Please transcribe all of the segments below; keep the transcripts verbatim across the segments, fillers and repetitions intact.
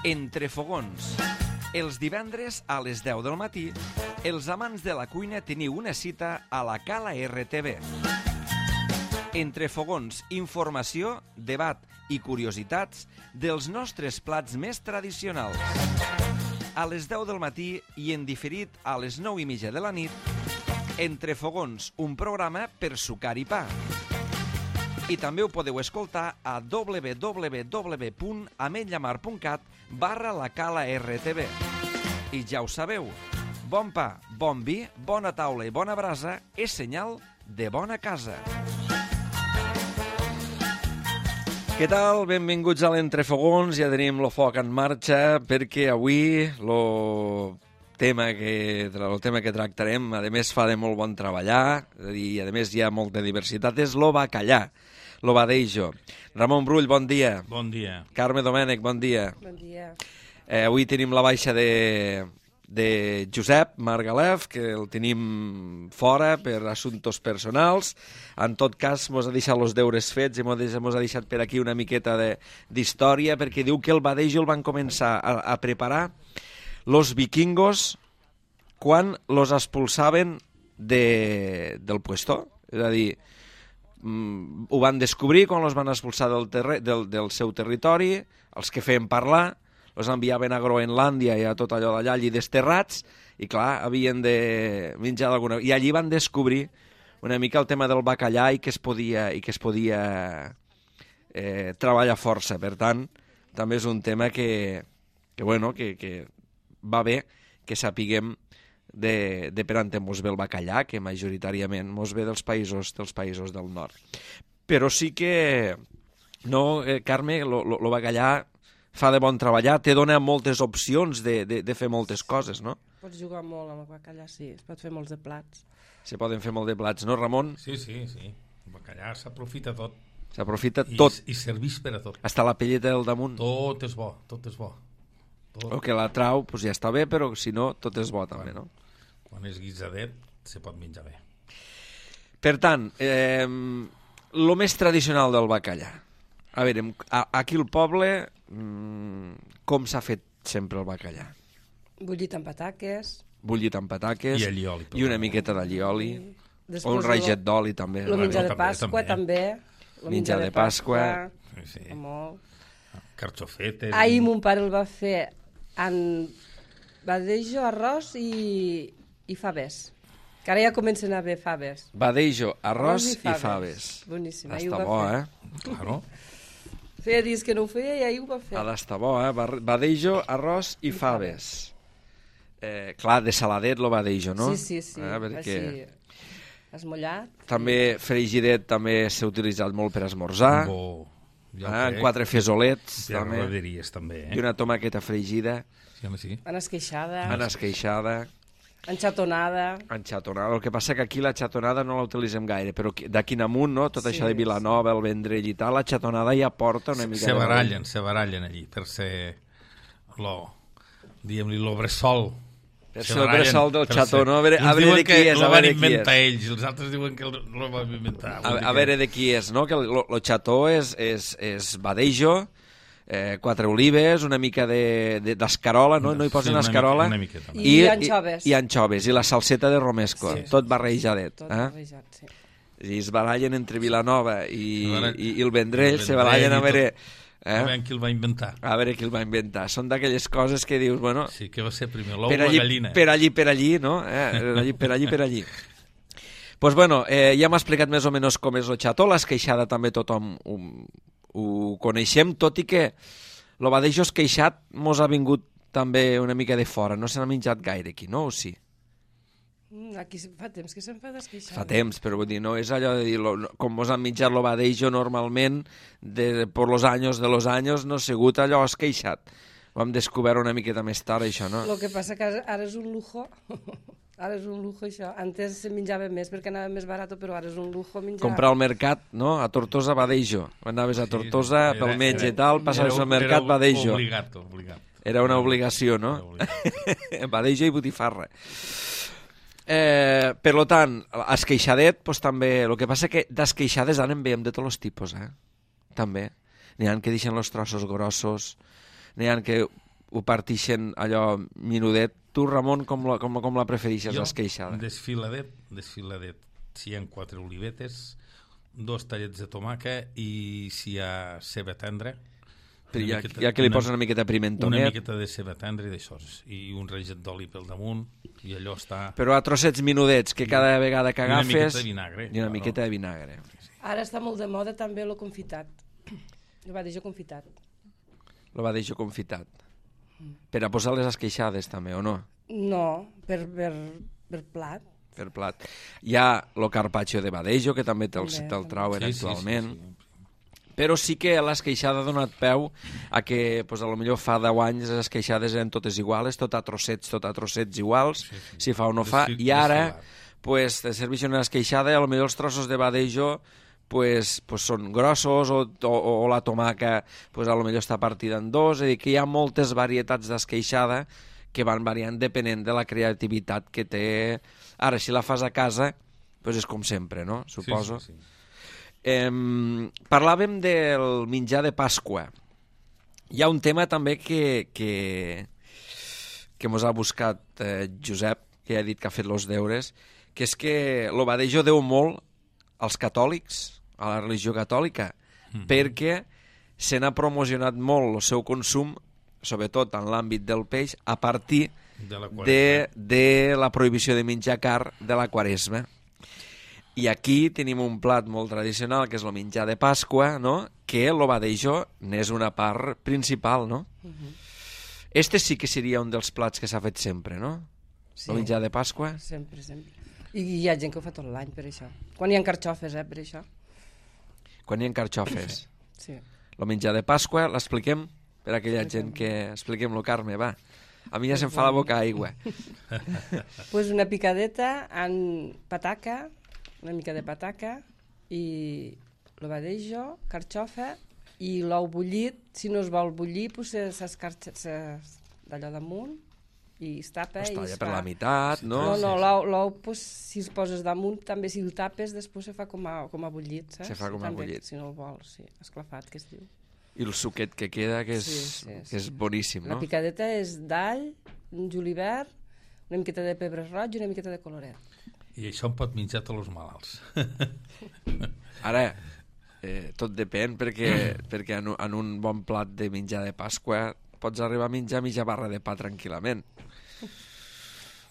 Entre fogons. Els divendres a les deu del matí, els amants de la cuina teniu una cita a la Cala R T V. Entre fogons, informació, debat i curiositats dels nostres plats més tradicionals. A les deu del matí i en diferit a les nou i mitja de la nit, Entre fogons, un programa per sucar i pa. I també ho podeu escoltar a w w w punt ametlllamar punt cat barra la Cala R T V. I ja ho sabeu, bon pa, bon vi, bona taula i bona brasa és senyal de bona casa. Què tal? Benvinguts a l'Entrefogons. Ja tenim el foc en marxa perquè avui el tema que, el tema que tractarem, a més fa de molt bon treballar, i a més hi ha molta diversitat, és lo bacallà, lo badejo. Ramon Brull, bon dia. Bon dia. Carme Domènech, bon dia. Bon dia. Eh, avui tenim la baixa de, de Josep Margalef, que el tenim fora per assumptes personals. En tot cas, mos ha deixat els deures fets i mos ha deixat per aquí una miqueta d'història, perquè diu que el badejo el van començar a, a preparar los vikingos quan los expulsaven de, del puesto. És a dir, mm, ho van descobrir quan los van expulsar del, terre, del, del seu territori, els que feien parlar, els enviaven a Groenlàndia i a tot allò d'allà, allí desterrats, i clar, havien de menjar d'alguna... I allí van descobrir una mica el tema del bacallà i que es podia, i que es podia eh, treballar força. Per tant, també és un tema que, que, bueno, que, que va bé que sapiguem de, de per on mos ve el bacallà, que majoritàriament mos ve dels països, dels països del nord. Però sí que, no, eh, Carme, el bacallà fa de bon treballar, te dona moltes opcions de, de, de fer moltes coses, no? Pots jugar molt amb el bacallà, sí, es pot fer molts de plats. Se poden fer molt de plats, no, Ramon? Sí, sí, sí. El bacallà s'aprofita tot. S'aprofita I, tot. I serveix per a tot. Hasta la pelleta del damunt. Tot és bo, tot és bo. Tot. El que la trau, pues ja està bé, però si no, tot és bo també, no? Quan és guisadet, se pot menjar bé. Per tant, eh, el més tradicional del bacallà. A veure, aquí al poble, mmm, com s'ha fet sempre el bacallà? Bullit amb pataques. Bullit amb pataques. I allioli. I una miqueta d'allioli. Després O un raget d'oli, també. El menjar de també, Pasqua, també. El menjar de Pasqua. Sí, sí. Molt. Carxofetes. Ahir mon pare el va fer en badejo, arròs i, i faves. Que ara ja comencen a haver faves. Badejo, arròs Arròs i faves. I faves. Boníssim, Està ahir ho va bo, fer. eh? Claro. Feia dies que no ho feia i ahir ho va fer. Ha d'estar bo, eh? Badejo, arròs i, I faves. Eh, clar, de saladet lo badejo, no? Sí, sí, sí. Eh, perquè... Així, esmollat. També frigidet també s'ha utilitzat molt per esmorzar. Bo. Ah, en quatre fesolets, Per també. roderies, també, eh? I una tomaqueta fregida. Sí, home, sí. En esqueixada. En esqueixada. En xatonada. En xatonada. El que passa que aquí la xatonada no la utilitzem gaire, però d'aquí en amunt, no? Tot Sí, això de Vilanova, el Vendrell i tal, la xatonada ja porta una mica Se de... barallen, se barallen allí, per ser lo, diguem-li, lo bressol. Per Se ser el barallen bressol del per xató, ser- no? A veure, a Uns veure diuen de qui que és, lo a van veure de qui inventar és. ells, els altres diuen que lo van inventar. A, a veure de qui és, no? Que el, lo, lo xató és, és, és badejo, eh, quatre olives, una mica d'escarola, no? No hi posen Sí, una escarola. mica- una miqueta. I anxoves. I, I anxoves, i la salseta de romesco, Sí. tot barrejadet. Tot eh? barrejat, sí. I es barallen entre Vilanova i, Se barallen- i, i el Vendrell, el se Vendrell barallen i a veure... tot. Eh? A veure qui el va inventar. A veure qui el va inventar. Són d'aquelles coses que dius, bueno... Sí, que va ser primer l'ou o per la allí, gallina. per allí, per allí, no? Eh? Per allí, per allí, per allí. Pues bueno, eh, ja m'ha explicat més o menys com és el xató, l'esqueixada també tothom ho, ho coneixem, tot i que el badejo esqueixat mos ha vingut també una mica de fora, no se n'ha menjat gaire aquí, no? O sí? Mm, Aquí fa temps que se'n fa d'esqueixada. Fa temps, però vull dir, no és allò de dir, lo, com mos han menjat el badejo normalment, de, por los años de los años, no ha sigut allò esqueixat. Ho hem descobert una miqueta més tard, això, no? El que passa que ara- ara és un lujo. Ara és un lujo, això. Antes se menjava més perquè anava més barat, però ara és un lujo menjar. Comprar al mercat, no? A Tortosa, badejo. Anaves a Tortosa Sí, pel era- metge i era- tal, passaves era- al mercat, era badejo. Obligat, obligat. Era una obligació, no? Era obligat. Badejo i botifarra. Eh, per lo tant, esqueixadet, pues, també... El que passa que d'esqueixades ara en veiem de tots els tipus, eh? També. N'hi ha que deixen els trossos grossos, n'hi ha que ho partixen allò minudet. Tu, Ramon, com la, com, com la prefereixes, l'esqueixada? Desfiladet, desfiladet. Si hi ha quatre olivetes, dos tallets de tomàquet i si hi ha ceba tendra, Però ja, miqueta, ja que li una, posa una miqueta de pimentonet. Una miqueta de ceba tendra i d'això, i un reget d'oli pel damunt, i allò està... Però a trossets minudets, que cada vegada que agafes... I una miqueta de vinagre. I una claro. miqueta de vinagre. Ara està molt de moda també el confitat. El badejo confitat. El badejo confitat. Per a posar les esqueixades també, o no? No, per, per, per plat. Per plat. Hi ha el carpaccio de badejo, que també te'l te trauen sí, actualment. Sí, sí, sí. Però sí que l'esqueixada ha donat peu a que, pues, a lo millor fa deu anys les esqueixades eren totes iguals, tot a trossets, tot a trossets iguals, sí, sí. si fa o no fa, i ara pues, te serveix una esqueixada i a lo millor els trossos de badejo pues, pues són grossos o, o, o la tomaca pues, a lo millor està partida en dos, és a dir, que hi ha moltes varietats d'esqueixada que van variant depenent de la creativitat que té. Ara, si la fas a casa, pues és com sempre, no? Suposo. Sí, sí, sí. Eh, parlàvem del menjar de Pasqua. Hi ha un tema també que, que, que mos ha buscat eh, Josep, que ja ha dit que ha fet els deures, que és que el badejo deu molt als catòlics, a la religió catòlica, mm-hmm. perquè se n'ha promocionat molt el seu consum, sobretot en l'àmbit del peix, a partir de la, de, de la prohibició de menjar car de la Quaresma. I aquí tenim un plat molt tradicional, que és el menjar de Pasqua, no? Que el badejo n'és una part principal, no? Uh-huh. Este sí que seria un dels plats que s'ha fet sempre, no? Sí. El menjar de Pasqua. Sempre, sempre. I hi ha gent que ho fa tot l'any, per això. Quan hi ha carxofes, eh, per això. Quan hi ha carxofes. Sí. El menjar de Pasqua, l'expliquem per a aquella gent que... Expliquem-lo, Carme, va. A mi ja se'm fa la boca aigua. Pues una picadeta en pataca, una mica de pataca, i el badejo, carxofa, i l'ou bullit. Si no es vol bullir, pues s'escarxa d'allò damunt, i es tapa. Es talla i es per fa... la meitat, no? No, no, l'ou, l'ou pues, si es poses damunt, també si el tapes, després se fa com a, com a bullit, saps? Se fa com a també, bullit. Si no el vols, sí, esclafat, que es diu. I el suquet que queda, que és, sí, sí, sí. Que és boníssim, no? La picadeta és d'all, un julivert, una miqueta de pebre roig i una miqueta de coloret. I això en pot menjar tots els malalts. Ara, eh, tot depèn, perquè, perquè en, en un bon plat de menjar de Pasqua pots arribar a menjar mitja barra de pa tranquil·lament.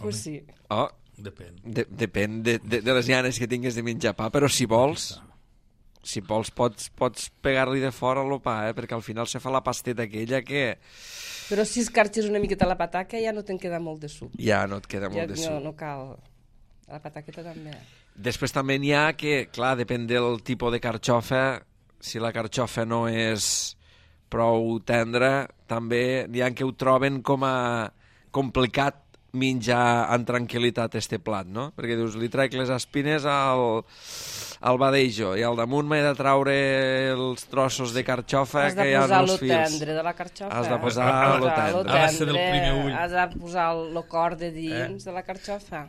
Pues sí. Oh, depèn. De, depèn de, de, de les ganes que tingues de menjar pa, però si vols... Si vols, pots, pots pegar-li de fora el pa, eh? Perquè al final se fa la pasteta aquella que... Però si escarxes una miqueta la pataca ja no te'n queda molt de suc. Ja no et queda molt ja, de no, suc. No cal. La pataqueta també. Després també n'hi ha que, clar, depèn del tipus de carxofa, si la carxofa no és prou tendra, també n'hi ha que ho troben com a complicat menjar en tranquil·litat este plat, no? Perquè dius, li traic les espines al... al badejo, i al damunt m'he de traure els trossos de carxofa que hi ha en els fils. Has de posar lo tendre de la carxofa. Has de posar lo tendre. Ha de ser del primer ull. Has de posar lo cor de dins eh? de la carxofa.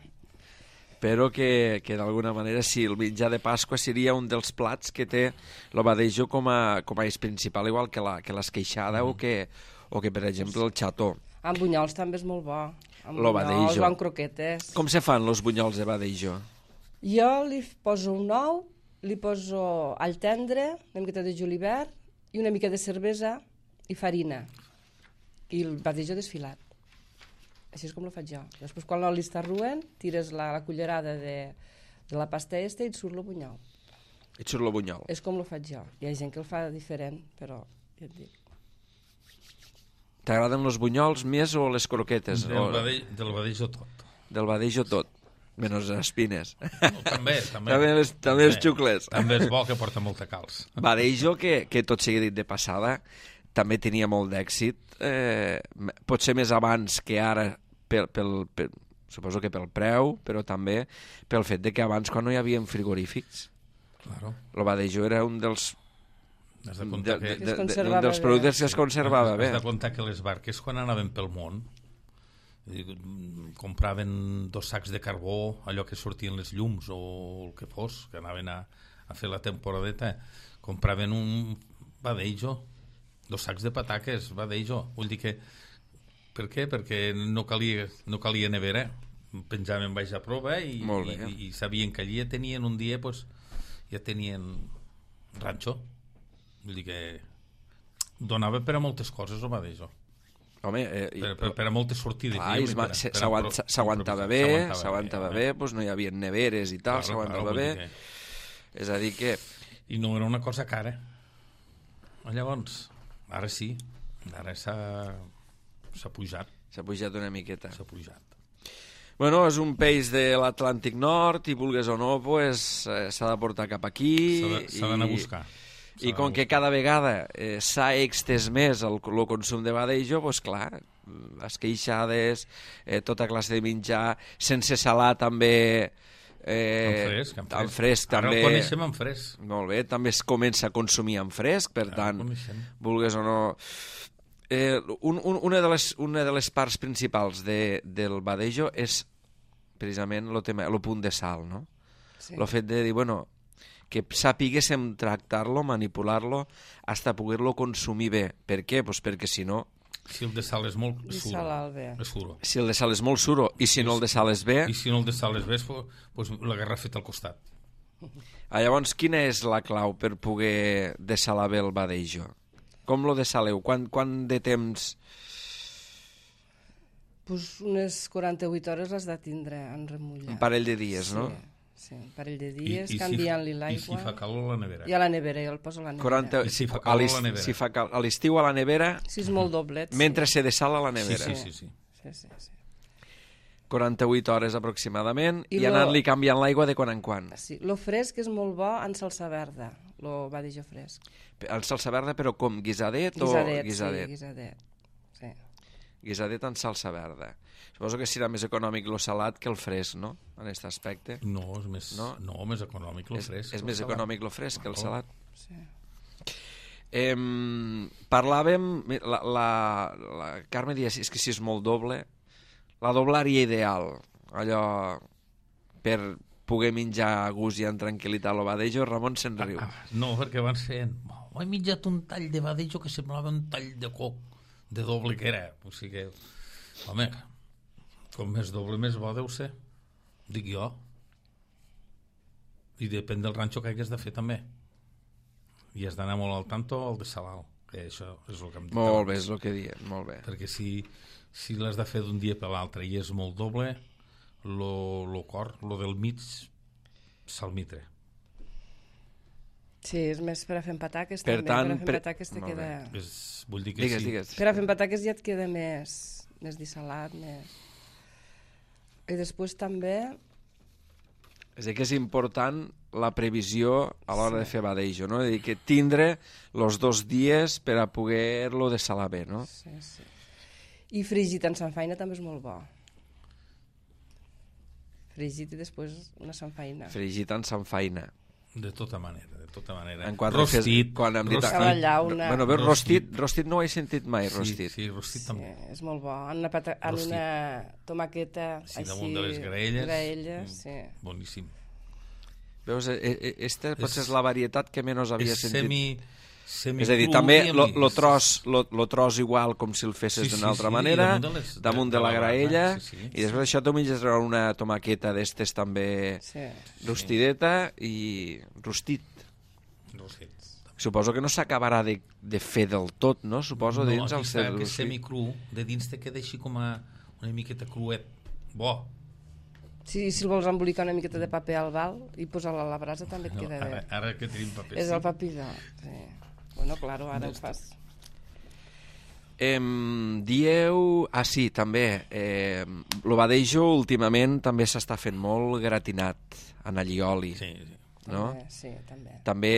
Però que, que d'alguna manera sí, el menjar de Pasqua seria un dels plats que té el badejo com a, com a eix principal, igual que la que l'esqueixada mm. o, que, o que, per exemple, el xató. Amb bunyols també és molt bo. Amb lo bunyols badejo. o amb croquetes. Com se fan els bunyols de badejo? Jo li poso un ou, li poso all tendre, una miqueta de julivert i una mica de cervesa i farina. I el badejo desfilat. Així és com ho faig jo. Després, quan l'oli està ruent, tires la, la cullerada de, de la pasta esta i et surt el bunyol. Et surt el bunyol. És com ho faig jo. Hi ha gent que el fa diferent, però ja et dic. T'agraden els bunyols més o les croquetes? Del, o... badell, del badejo tot. Del badejo tot. Menys les espines. No, també, també. també, les, també els xucles. També és bo, que porta molta calç. Badejo, que, que tot sigui dit de passada, també tenia molt d'èxit. Eh, potser més abans que ara, pel, pel, pel, suposo que pel preu, però també pel fet de que abans, quan no hi havia frigorífics, claro. El badejo era un dels... Has de comptar de, que... de, de, de, un dels productes que es conservava bé. Has de comptar que les barques, quan anaven pel món, compraven dos sacs de carbó, allò que sortien les llums o el que fos, que anaven a, a fer la temporadeta, compraven un badejo, dos sacs de pataques, badejo. Vull dir que Per què? Perquè no calia, no calia nevera. Penjaven baix a prova i, i, i sabien que allí ja tenien un dia, pues, ja tenien ranxo. Vull dir que donava per a moltes coses, o va d'això. Home, eh, per, per, per a moltes sortides. Clar, s'aguantava bé, s'aguantava bé, doncs no hi havia neveres i tal, s'aguantava bé. És a dir que... I no era una cosa cara. Llavors, ara sí, ara s'ha s'ha pujat. S'ha pujat una miqueta. S'ha pujat. Bueno, és un peix de l'Atlàntic Nord i vulgues o no, pues, eh, s'ha de portar cap aquí. S'ha d'anar a buscar. I com que cada vegada eh, s'ha extès més el, el consum de badejo, doncs clar, esqueixades, eh, tota classe de menjar, sense salar també... Eh, en fresc, en fresc. En fresc Ara també, el coneixem en fresc. Molt bé, també es comença a consumir en fresc, per Ara tant, vulgues o no... Eh, un, un, una, de les, una de les parts principals de, del badejo és precisament el tema, el punt de sal, no? Sí. El fet de dir, bueno, que sapiguéssim tractar-lo, manipular-lo, hasta poder-lo consumir bé. Per què? Pues perquè si no... Si el de sal és molt suro, és suro. Si el de sal és molt suro i si no el de sal és bé... I si no el de sal és bé, pues la garrafeta al costat. Ah, llavors, quina és la clau per poder dessalar bé el badejo? Com lo dessaleu? Quant, quant de temps... Pues unes quaranta-vuit hores l'has de tindre en remullar. Un parell de dies, sí. no? Sí, un parell de dies, I, i canviant-li si, l'aigua. I si fa calor a la nevera? I a la nevera, jo el poso a la nevera. quaranta, I si fa calor a la nevera? Si fa cal, a l'estiu a la nevera... Si és molt doblet. Sí. Mentre se dessala a la nevera. Sí, sí, sí. sí. sí, sí, sí. quaranta-vuit hores aproximadament i, I, i lo... anant-li canviant l'aigua de quan en quan. Sí, lo fresc és molt bo en salsa verda, lo badejo fresc. El salsa verda, però com? Guisadet, guisadet o guisadet? Sí, guisadet. Sí. Guisadet en salsa verda. Suposo que serà més econòmic lo salat que el fresc, no? En aquest aspecte. No, és més, no? No, més econòmic lo fresc. És, és més salat. econòmic lo fresc que el no. salat. Sí. Eh, parlàvem, la, la, la Carme dia, és que si és molt doble, la doblària ideal, allò per poder menjar a gust i en tranquil·litat lo badejo, Ramon se'n riu. Ah, no, perquè van fent... Oh, he menjat un tall de badejo que semblava un tall de coc, de doble que era. O sigui que, home, com més doble més bo deu ser, dic jo. I depèn del ranxo que hagués de fer també. I has d'anar molt al tanto al de Salal, que això és el que em dic. Molt bé, és el que diem, molt bé. Perquè si, si l'has de fer d'un dia per l'altre i és molt doble, lo, lo cor, lo del mig, s'almitre. Sí, és més per a fer pataques per també. Tant, per a fer per... pataques te queda... És, vull dir que digues, sí. digues. Per a fer pataques ja et queda més, més dissalat, més... I després també... És a dir, que és important la previsió a l'hora Sí. de fer badejo, no? És a dir, que tindre els dos dies per a poder-lo dessalar bé, no? Sí, sí. I fregit en sanfaina també és molt bo. Fregit i després una sanfaina. Fregit en sanfaina. De tota manera, de tota manera. En quan rostit, fes, quan hem dit... rostit. A la llauna. Bueno, bé, Rostit. rostit, rostit no ho he sentit mai, Sí, rostit. sí, rostit Sí, també. és molt bo. En una, pata... en Rostit. una tomaqueta Sí, així... damunt de les graelles. Graelles, sí. Boníssim. Veus, aquesta potser És- és la varietat que menys havia És sentit. semi, semi És a dir, cru també i lo, amb lo, guix. tros, lo, lo tros igual com si el fesses Sí, d'una sí, altra sí, manera, damunt de les- damunt de, de- de la la graella, barra, sí, sí, i després això tu menges una tomaqueta d'estes també Sí. rostideta i rostit. Rostit. Suposo que no s'acabarà de, de fer del tot, no? Suposo no, dins aquí el està, cel. que és semicru, de dins te queda així com a una miqueta cruet. Bo. Si, si el vols embolicar una miqueta de paper al val i posar-la a la brasa també et No, queda ara, bé. ara que tenim paper. És sí. el papidó. Sí. Bueno, claro, ara ho fas. Em, dieu... Ah, sí, també. Eh, lo badejo últimament també s'està fent molt gratinat en allioli, Sí, sí. no? També, sí, també. També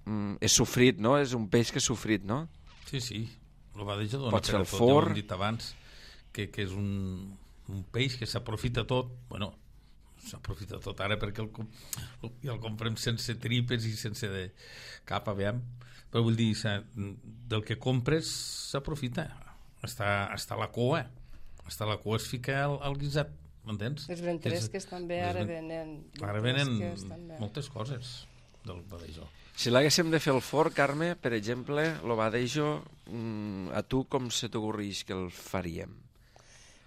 mm, és sofrit, no? És un peix que és sofrit, no? Sí, sí. El badejo dona Pot ser per a al tot, ja ho forn. hem dit abans, que, que és un, un peix que s'aprofita tot, bueno, s'aprofita tot ara perquè el, com- el, el comprem sense tripes i sense de cap, aviam, però vull dir, s'ha- del que compres s'aprofita, està, està la cua, està la cua es fica al, al guisat, m'entens? Les ventresques també les ara ven- venen... Ara venen ventresques també. moltes coses del badejo. Si l'haguéssim de fer al forn, Carme, per exemple, lo badejo, mm, a tu com se t'ocorreix que el faríem?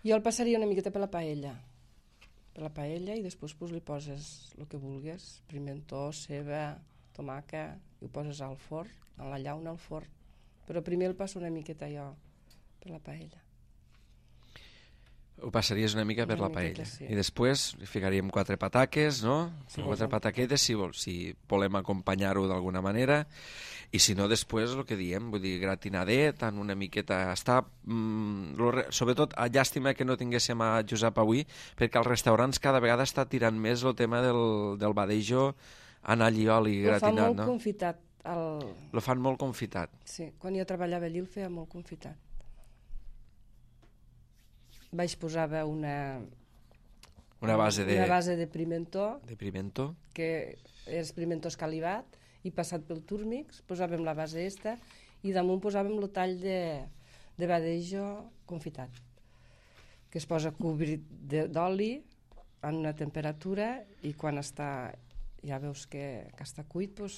Jo el passaria una miqueta per la paella. Per la paella i després pues, li poses el que vulguis, pimentó, ceba, tomàquet, i ho poses al forn, a la llauna al forn. Però primer el passo una miqueta jo per la paella. Ho passaries una mica per Una la paella. miqueta, sí. I després hi ficaríem quatre pataques, no? Sí. Quatre pataquetes, si, vol, si volem acompanyar-ho d'alguna manera. I si no, després, el que diem, vull dir, gratinadet, en una miqueta... Està, mm, lo, sobretot, a llàstima que no tinguéssim a Josep avui, perquè als restaurants cada vegada està tirant més el tema del, del badejo en allioli Ho fa gratinat, molt no? confitat. El... Lo fan molt confitat. Sí, quan jo treballava allí el feia molt confitat. Vaig posava una... Una base de, Una base de pimentó, de pimento. que és pimentó escalivat, i passat pel túrmix, posàvem la base esta, i damunt posàvem el tall de, de badejo confitat, que es posa cobrit de- d'oli en una temperatura, i quan està, ja veus que, que està cuit, doncs,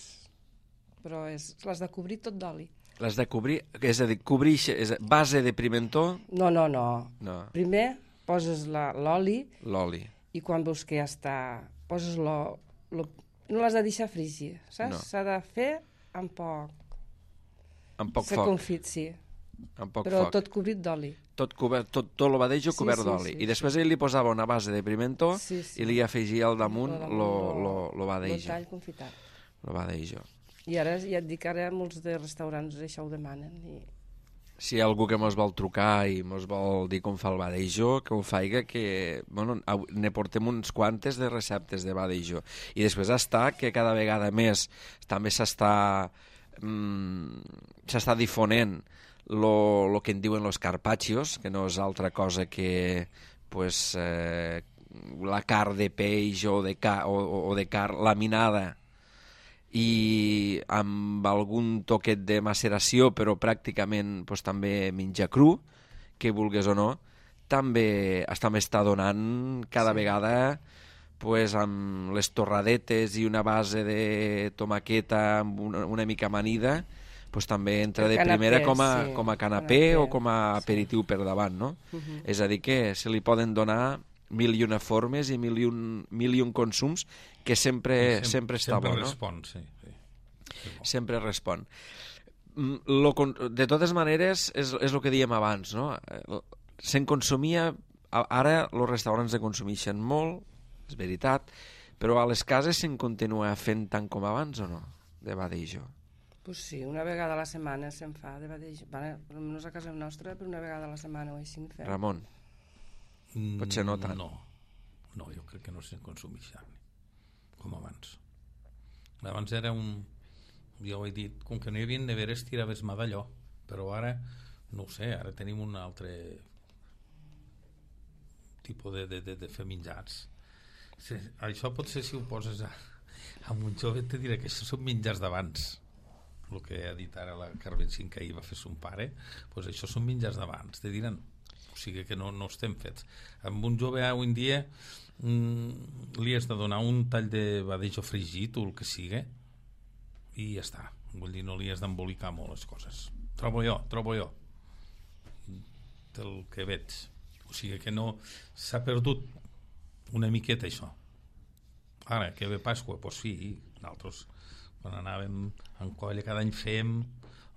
però és, l'has de cobrir tot d'oli. L'has de cobrir, és a dir, cobrir és a, base de pimentó, No, no, no. no, Primer poses la- l'oli, l'oli. i quan veus que ja està, poses lo, lo, no l'has de deixar fregir, saps? No. S'ha de fer amb poc, Amb poc se foc, confit, sí, amb poc però foc. tot cobrit d'oli. Tot, cobert, tot, tot lo badejo Sí, cobert sí, d'oli. sí, I després ell li posava una base de pimentó Sí, sí. i li afegia al damunt Lo lo, damunt lo, lo El badejo. tall confitat. Lo badejo. I ara ja et dic, ara molts de restaurants això ho demanen. I... Si hi ha algú que mos vol trucar i mos vol dir com fa el badejo, que ho faiga, que bueno, au- ne portem uns quantes de receptes de badejo. I després està que cada vegada més també s'està mm, s'està difonent lo, lo que en diuen los carpaccios, que no és altra cosa que pues, eh, la carn de peix o de, ca, o, o de carn laminada i amb algun toquet de maceració, però pràcticament pues, també menjar cru, que vulgues o no, també, també està donant cada Sí. vegada pues, amb les torradetes i una base de tomaqueta amb una, una mica amanida, pues, també entra El de canapé, primera com a, sí, com a canapé, canapé, o com a sí. aperitiu per davant, no? Uh -huh. És a dir, que se li poden donar mil i una formes i mil i un, mil i un consums que sempre, sempre, sempre està sempre bo, no? respon, sí. sí. sí bo. Sempre respon. Mm, Lo, con- de totes maneres, és, és el que dèiem abans, no? Eh, Se'n consumia... a- Ara els restaurants se consumeixen molt, és veritat, però a les cases se'n continua fent tant com abans o no? De badejo. Pues sí, una vegada a la setmana se'n fa de badejo. Vale, almenys a casa nostra, però una vegada a la setmana o així en fem. Ramon, potser no tant. No, no, jo crec que no se'n consumeix tant, com abans. Abans era un... Jo ho he dit, com que no hi havia neveres, tiraves mà d'allò, però ara, no ho sé, ara tenim un altre tipus de, de, de, de fer menjars. Sí, això potser si ho poses a, a un jove te diré que això són menjars d'abans, el que ha dit ara la Carmen Cinc que ahir va fer son pare, doncs això són menjars d'abans, te diran, o sigui que no, no estem fets. Amb un jove avui en dia mm, li has de donar un tall de badejo fregit o el que sigui i ja està, vull dir, no li has d'embolicar molt les coses, trobo jo, trobo jo del que veig, o sigui que no s'ha perdut una miqueta això. Ara que ve Pasqua, doncs sí, nosaltres quan anàvem en colla cada any fèiem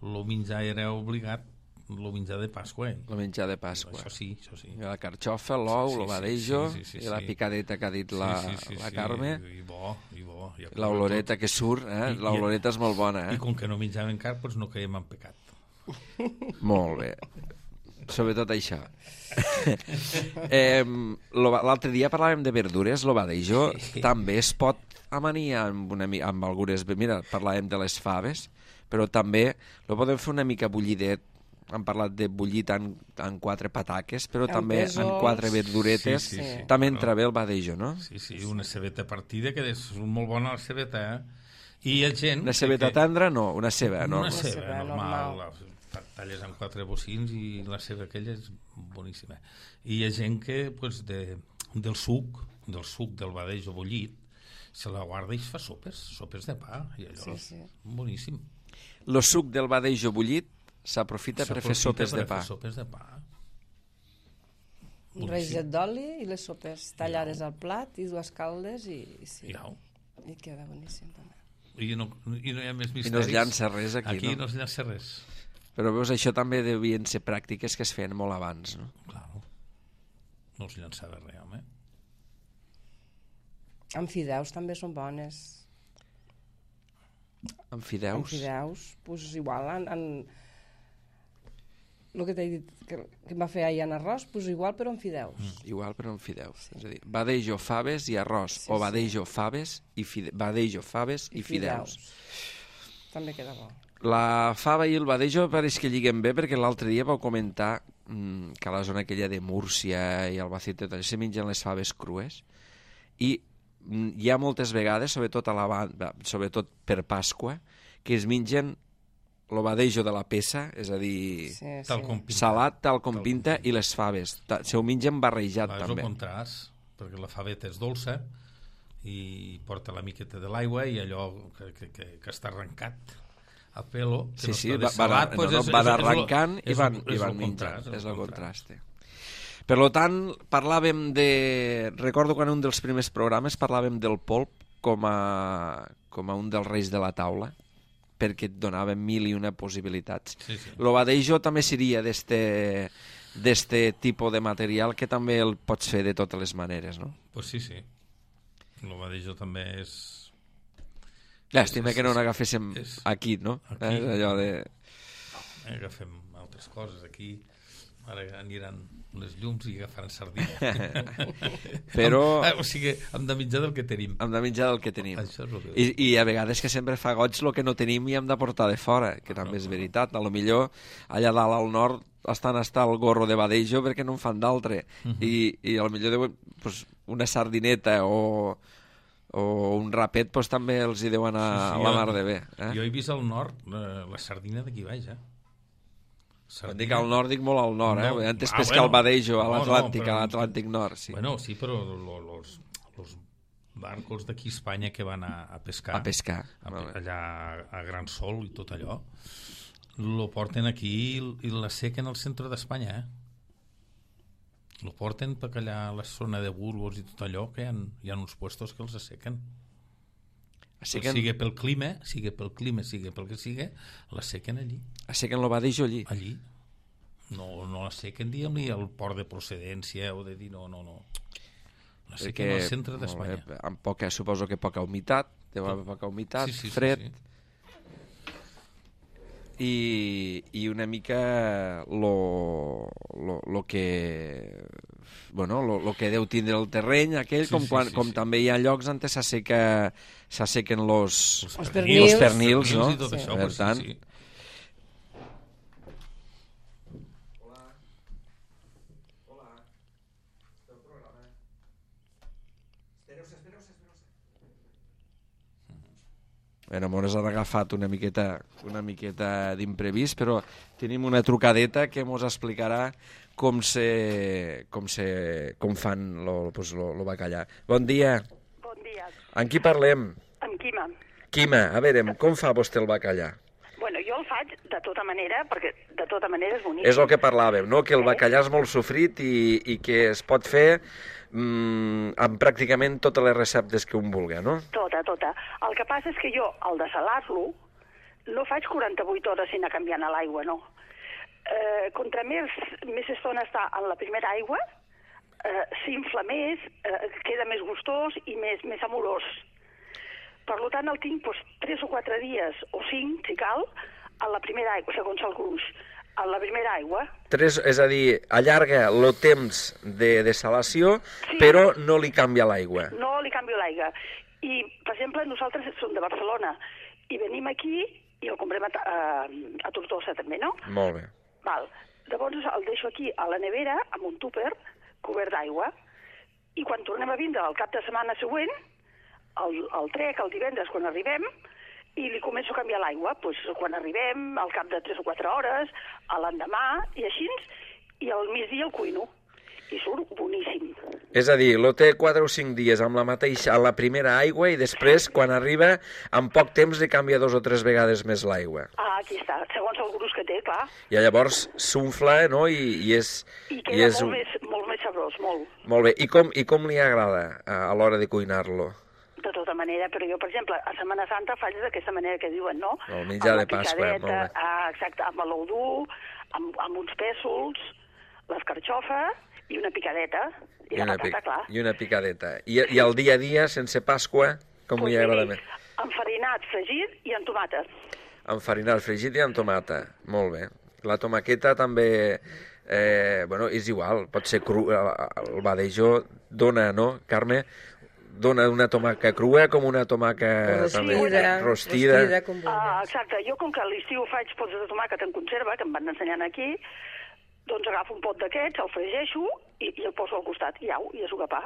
el menjar era obligat, el menjar de Pasqua, eh? El menjar de Pasqua. Això sí, això sí. I la carxofa, l'ou, Sí, el sí, badejo, sí, sí, sí, i la sí. picadeta que ha dit la, sí, sí, sí, la sí, Carme, i bo, i bo, i l'oloreta que surt, eh? I- i- L'oloreta és molt bona, i eh? com que no menjaven carn, doncs no caiem en pecat. Molt bé. Sobretot això. eh, lo ba- L'altre dia parlàvem de verdures, lo badejo Sí. també es pot amanir amb, una, mi- amb algunes... Mira, parlàvem de les faves, però també lo podem fer una mica bullidet. Hem parlat de bullit en, en quatre pataques, però Amb també en pèsols. quatre verduretes. Sí, sí, sí. També Bueno. entra bé el badejo, no? Sí, sí, una cebeta partida, que és molt bona la cebeta, eh? I hi ha gent... Una cebeta que, tendra, no, una ceba, no? Una Una ceba, ceba normal, normal. la talles en quatre bocins i la ceba aquella és boníssima. I hi ha gent que pues, de, del suc, del suc del badejo bullit, se la guarda i es fa sopes, sopes de pa, i allò Sí, és sí. boníssim. El suc del badejo bullit s'aprofita per fer S'aprofita sopes per de pa. fer sopes de pa. Un raget d'oli i les sopes tallades al plat i dues caldes i, i sí. Iau. I queda boníssim també. I no, I no hi ha més misteris. I no es llança res aquí, aquí no? no es llança res. Però veus, això també devien ser pràctiques que es feien molt abans, no? Claro. No es llançava res, home. Amb fideus també són bones. Amb fideus? Amb fideus, doncs igual en... en... el que t'he dit que, que em va fer ahir en arròs, doncs igual però amb fideus. Mm. Igual però amb fideus. Sí. És a dir, badejo, faves i arròs, sí, o badejo, sí. faves i fide... badejo, faves i, i fideus. fideus. També queda bo. La fava i el badejo pareix que lliguen bé perquè l'altre dia vau comentar mmm, que a la zona aquella de Múrcia i Albacete se mengen les faves crues i mmm, hi ha moltes vegades, sobretot, a la banda, sobretot per Pasqua, que es mengen el badejo de la peça, és a dir, sí, sí. Tal com pinta. salat tal com tal pinta, i les faves. Se ho mengen barrejat, Va, també. És el contrast, perquè la faveta és dolça i porta la miqueta de l'aigua i allò que, que, que, que està arrencat a pelo, que sí, no sí, està de va, salat, va, pues no, és, van és, arrencant és, i van, és, i van és menjant. És el contrast. contrast. Per tant, parlàvem de... Recordo quan un dels primers programes parlàvem del polp com a, com a un dels reis de la taula, perquè et donava mil i una possibilitats. Sí, sí. Lo badejo també seria d'este d'este tipus de material que també el pots fer de totes les maneres, no? Pues sí, sí. El badejo també és... Llàstima que no n'agaféssim és... aquí, no? Aquí. És allò de... No, agafem altres coses aquí. Ara aniran les llums i agafaran sardina. Però... Amb, o sigui, hem de menjar del que tenim. Hem de menjar del que tenim. Això és el que... I, I a vegades que sempre fa goig el que no tenim i hem de portar de fora, que també no, és no. veritat. A lo millor allà dalt al nord estan hasta el gorro de badejo perquè no en fan d'altre. Uh -huh. I, I a lo millor deuen, pues, una sardineta o... o un rapet pues, també els hi deuen anar sí, sí, a la mar de bé. Eh? Jo he vist al nord eh, la sardina d'aquí baix, eh? Sardina... Quan dic al nord, dic molt al nord, no. eh? Antes ah, pescar bueno, el badejo a l'Atlàntic, no, no, a l'Atlàntic Nord. Sí. Bueno, sí, però los, los barcos d'aquí a Espanya que van a, a pescar, a pescar. A, allà a Gran Sol i tot allò, lo porten aquí i l'assequen al centre d'Espanya, eh? Lo porten perquè allà a la zona de Burgos i tot allò, que hi ha, hi ha uns puestos que els assequen. Assequen... Sigui pel clima, sigui pel clima, sigui pel que sigui, l'assequen allí. Assequen el badejo allí? Allí. No, no l'assequen, diguem-li, al port de procedència o de dir no, no, no. L'assequen al centre d'Espanya. Amb poca, suposo que poca humitat, deu haver poca humitat, sí, sí, fred... Sí, sí. I, i una mica lo, lo, lo que bueno, lo, lo que deu tindre el terreny aquell, sí, com, quan, sí, sí, com sí. també hi ha llocs on s'asseca s'assequen los, els pernils, los pernils, no? I tot sí. això, Per pues, tant, sí, sí. Bueno, mos han agafat una miqueta, una miqueta d'imprevist, però tenim una trucadeta que mos explicarà com se, com se, com fan lo, pues, lo, lo bacallà. Bon dia. Bon dia. Amb qui parlem? Amb Quima. Quima, a veure, com fa vostè el bacallà? Bueno, jo el faig de tota manera, perquè de tota manera és bonic. És el que parlàvem, no? Que el bacallà és molt sofrit i, i que es pot fer mm, amb pràcticament totes les receptes que un vulgui, no? Tota, tota. El que passa és que jo, al desalar-lo, no faig quaranta-vuit hores sense canviar a l'aigua, no. Eh, contra més, més estona està en la primera aigua, eh, s'infla més, eh, queda més gustós i més, més amorós. Per tant, el tinc doncs, tres o quatre dies, o cinc, si cal, a la primera aigua, segons el gruix. A la primera aigua. Tres, és a dir, allarga el temps de desalació, sí. Però no li canvia l'aigua. No li canvio l'aigua. I, per exemple, nosaltres som de Barcelona i venim aquí i el comprem a, a, a Tortosa també, no? Molt bé. Val. Llavors el deixo aquí a la nevera amb un túper cobert d'aigua i quan tornem a vindre el cap de setmana següent, el, el trec, el divendres, quan arribem, i li començo a canviar l'aigua, doncs, quan arribem, al cap de tres o quatre hores, a l'endemà, i així, i al migdia el cuino. I surt boníssim. És a dir, lo té quatre o cinc dies amb la mateixa, a la primera aigua, i després, quan arriba, en poc temps li canvia dos o tres vegades més l'aigua. Ah, aquí està, segons el gruix que té, clar. I llavors s'unfla, no?, i, i és... I queda i és molt, un... més, molt més molt sabrós, molt. Molt bé. I com, i com li agrada a, a l'hora de cuinar-lo? De tota manera, però jo, per exemple, a Setmana Santa faig d'aquesta manera que diuen, no? El menjar Amb la de Pasqua, picadeta, molt bé. Ah, exacte, amb l'ou dur, amb, amb uns pèsols, l'escarxofa i una picadeta. I, I la una, patata, pic- clar. I una picadeta. I, I el dia a dia, sense Pasqua, com Pues li agrada miri, més? Enfarinat, fregit i amb tomata. Enfarinat, fregit i amb tomata. Molt bé. La tomaqueta també, eh, bueno, és igual, pot ser cru. El badejó dona, no, Carme? Dona una tomaca crua com una tomaca Rostida, també rostida, rostida. com Ah, vulguis. exacte, jo com que a l'estiu faig pots de tomàquet en conserva, que em van ensenyant aquí, doncs agafo un pot d'aquests, el fregeixo i, i el poso al costat, i au, i és sopar.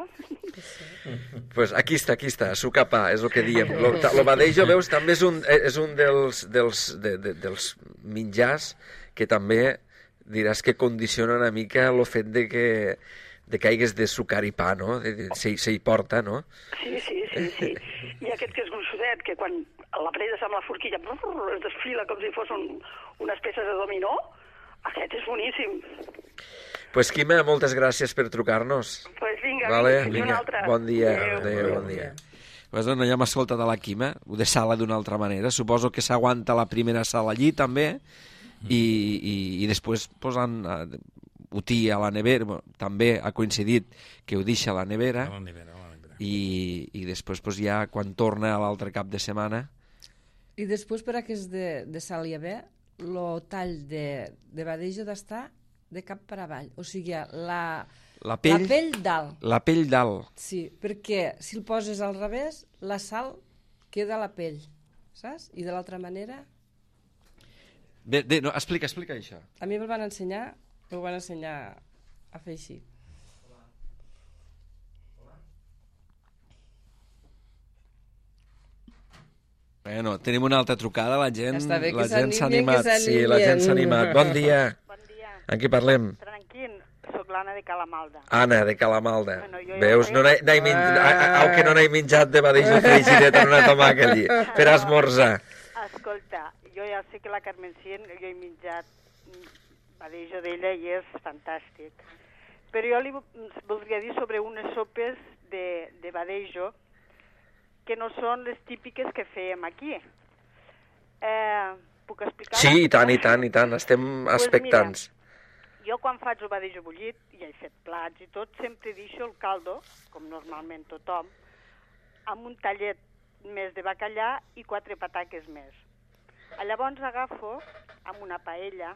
Pues aquí està, aquí està, sucapà, és el que diem. Lo, ta- lo badejo, veus, també és un, és un dels, dels, de, de, dels menjars que també diràs que condiciona una mica el fet de que de que hagués de sucar i pa, no? De- de- Se, se hi porta, no? Sí, sí, sí, sí. I aquest que és gruixudet, que quan l'apretes amb la forquilla brrr, es desfila com si fos un, unes peces de dominó, aquest és boníssim. Pues Quima, moltes gràcies per trucar-nos. Doncs pues vinga, Vale, vinga, vinga. una altra. Bon dia, Adéu. adéu, bon dia. Pues, doncs, ja hem escoltat a la Quima, ho de sala d'una altra manera. Suposo que s'aguanta la primera sala allí, també, i, i, i després posant eh, ho tira a la nevera. Bueno, també ha coincidit que ho deixa a la nevera, A la nevera, a la nevera. i, i després pues, ja quan torna a l'altre cap de setmana... I després, per a que és de, de sal i haver, el tall de, de badejo d'estar de cap per avall. O sigui, la, La pell, la pell dalt. la pell dalt. Sí, perquè si el poses al revés, la sal queda a la pell, saps? I de l'altra manera... Bé, bé, no, explica, explica això. A mi me'l van ensenyar, m'ho van ensenyar a fer així. Bueno, tenim una altra trucada, la gent, Està bé que la gent s'ha s'animin, animat. que Sí, la gent s'ha s'animin. animat. Bon dia. Bon dia. En qui parlem? Tranquil, sóc l'Anna de Calamalda. Anna, de Calamalda. Bueno, jo ja Veus, ho no n'he n'he min... Ah. au que no n'he menjat de badejo frigidet en una tomaca allí, per esmorzar. Escolta, jo ja sé que la Carmen Cien, jo he menjat mm, badejo d'ella i és fantàstic. Però jo li vo- voldria dir sobre unes sopes de, de badejo que no són les típiques que fèiem aquí. Eh, puc explicar? Sí, i tant, i tant, i tant, estem Pues expectants. Jo quan faig el badejo bullit, ja he fet plats i tot, sempre deixo el caldo, com normalment tothom, amb un tallet més de bacallà i quatre pataques més. Llavors agafo amb una paella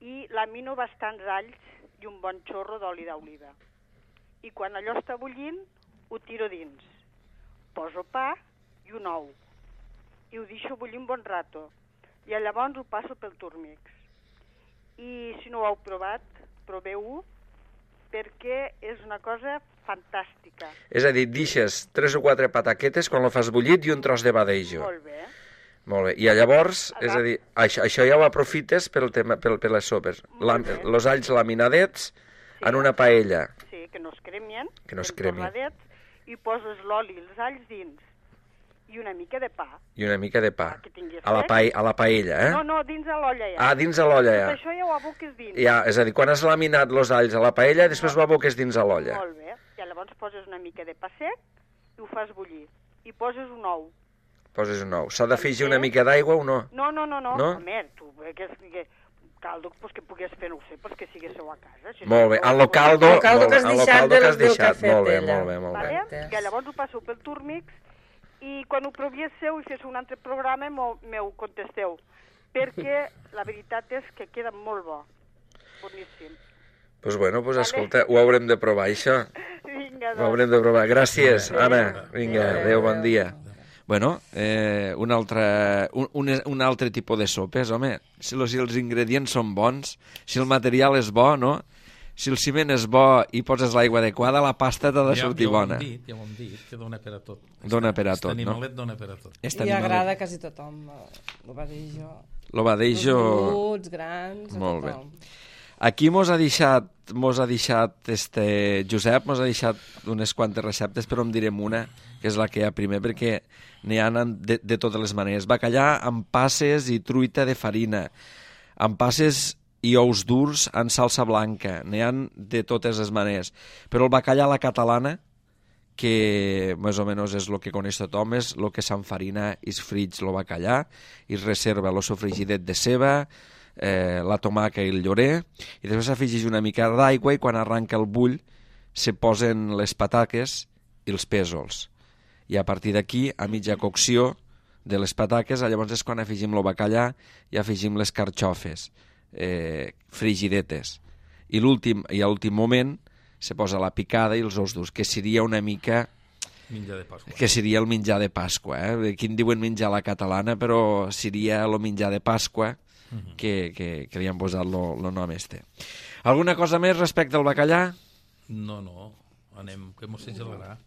i lamino bastants alls i un bon xorro d'oli d'oliva. I quan allò està bullint, ho tiro dins. Poso pa i un ou. I ho deixo bullir un bon rato. I llavors ho passo pel turmix. I si no ho heu provat, proveu-ho, perquè és una cosa fantàstica. És a dir, deixes tres o quatre pataquetes quan lo fas bullit i un tros de badejo. Molt bé. Molt bé. I llavors, és a dir, això, això ja ho aprofites pel tema, pel, per les sopes. La, Molt bé. los alls laminadets en una paella. Sí, que no es cremien. Que no es ben cremin. torradets, I poses l'oli i els alls dins. I una mica de pa. I una mica de pa. Ah, que tinguis A la, fred. pa, a la paella, eh? No, no, dins de l'olla ja. Ah, dins de l'olla, Tot ja. això ja ho aboques dins. Ja, és a dir, quan has laminat los alls a la paella, després ho aboques dins a l'olla. Molt bé. I llavors poses una mica de pa sec i ho fas bullir. I poses un ou. Poses un ou. S'ha d'afegir una mica d'aigua o no? No, no, no, no. No? Home, tu, eh, que, que caldo pues, que pugues fer, no ho sé, pues que siguéssiu a casa. Si Molt bé. no, En lo caldo, El caldo molt que bé, has en lo deixat caldo del- que has del que ha deixat. fet Molt bé, ella. molt bé, molt bé. Vale? Entès. Que llavors ho passo pel turmix i quan ho proviéssiu i féssiu un altre programa m'ho m'ho contesteu, perquè la veritat és que queda molt bo. Boníssim. Pues bueno, pues Vale. escolta, ho haurem de provar, això. Vinga, Ho doncs. haurem de provar. Gràcies, Adéu. Anna. Vinga, adéu, bon dia. Bueno, eh, un, altre, un, un, un altre tipus de sopes, home. Si, lo, si els ingredients són bons, si el material és bo, no? Si el ciment és bo i poses l'aigua adequada, la pasta t'ha de Ja- sortir ja ho hem bona. dit, ja ho hem dit, que dona per a tot. Dona per a tot, Este no? animalet dona per a tot. Este I animal- agrada a quasi tothom. El badejo. Lo badejo... Menuts, grans, a Molt bé. tothom. Aquí mos ha deixat, mos ha deixat este Josep, mos ha deixat unes quantes receptes, però en direm una, que és la que hi ha primer, perquè n'hi ha de, de totes les maneres. Bacallà amb passes i truita de farina, amb passes i ous durs en salsa blanca, n'hi ha de totes les maneres. Però el bacallà a la catalana, que més o menys és el que coneix tothom, és el que s'enfarina i es frig el bacallà, i es reserva el sofrigidet de ceba, eh, la tomaca i el llorer, i després s'afegeix una mica d'aigua i quan arranca el bull se posen les pataques i els pèsols. I a partir d'aquí, a mitja cocció de les pataques, llavors és quan afegim el bacallà i afegim les carxofes eh, frigidetes. I, l'últim, i a l'últim moment se posa la picada i els ous durs, que seria una mica... Menjar de Pasqua. Que seria el menjar de Pasqua. Eh? Aquí en diuen menjar a la catalana, però seria el menjar de Pasqua uh-huh. que, que, que li han posat el nom este. Alguna cosa més respecte al bacallà? No, no, anem, que mos gelarà.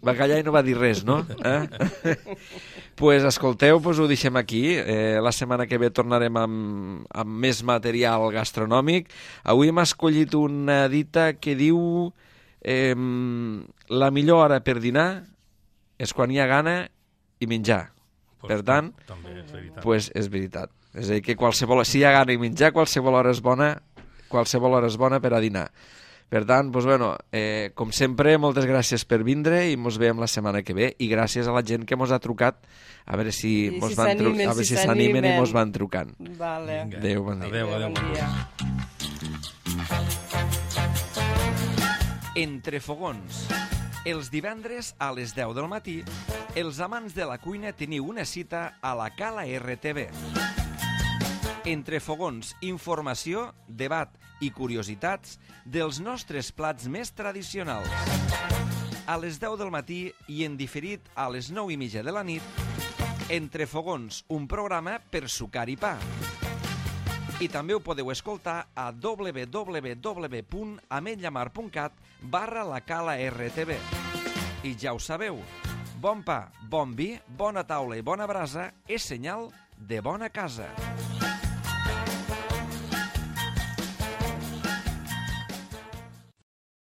Bacallà i no va dir res, no? Eh? Pues escolteu, pues ho deixem aquí. Eh, la setmana que ve tornarem amb, amb més material gastronòmic. Avui hem escollit una dita que diu eh, la millor hora per dinar és quan hi ha gana i menjar. Pues per tant, també és veritat. Pues és veritat. És a dir, que qualsevol, si hi ha gana i menjar, qualsevol hora és bona, qualsevol hora és bona per a dinar. Per tant, doncs, bueno, eh, com sempre, moltes gràcies per vindre i ens veiem la setmana que ve. I gràcies a la gent que ens ha trucat, a veure si I mos si van tru... s'animen, a veure si si s'animen i s'animen. ens van trucant. Vale. Vinga. Adéu, bon dia. Adéu, adéu, bon dia. Entre fogons. Els divendres a les deu del matí, els amants de la cuina teniu una cita a la Cala R T V. Entre fogons, informació, debat i curiositats dels nostres plats més tradicionals. A les deu del matí i en diferit a les nou i mitja de la nit, Entre fogons, un programa per sucar i pa. I també ho podeu escoltar a w w w punt ametlllamar punt cat barra la Cala R T V. I ja ho sabeu, bon pa, bon vi, bona taula i bona brasa és senyal de bona casa.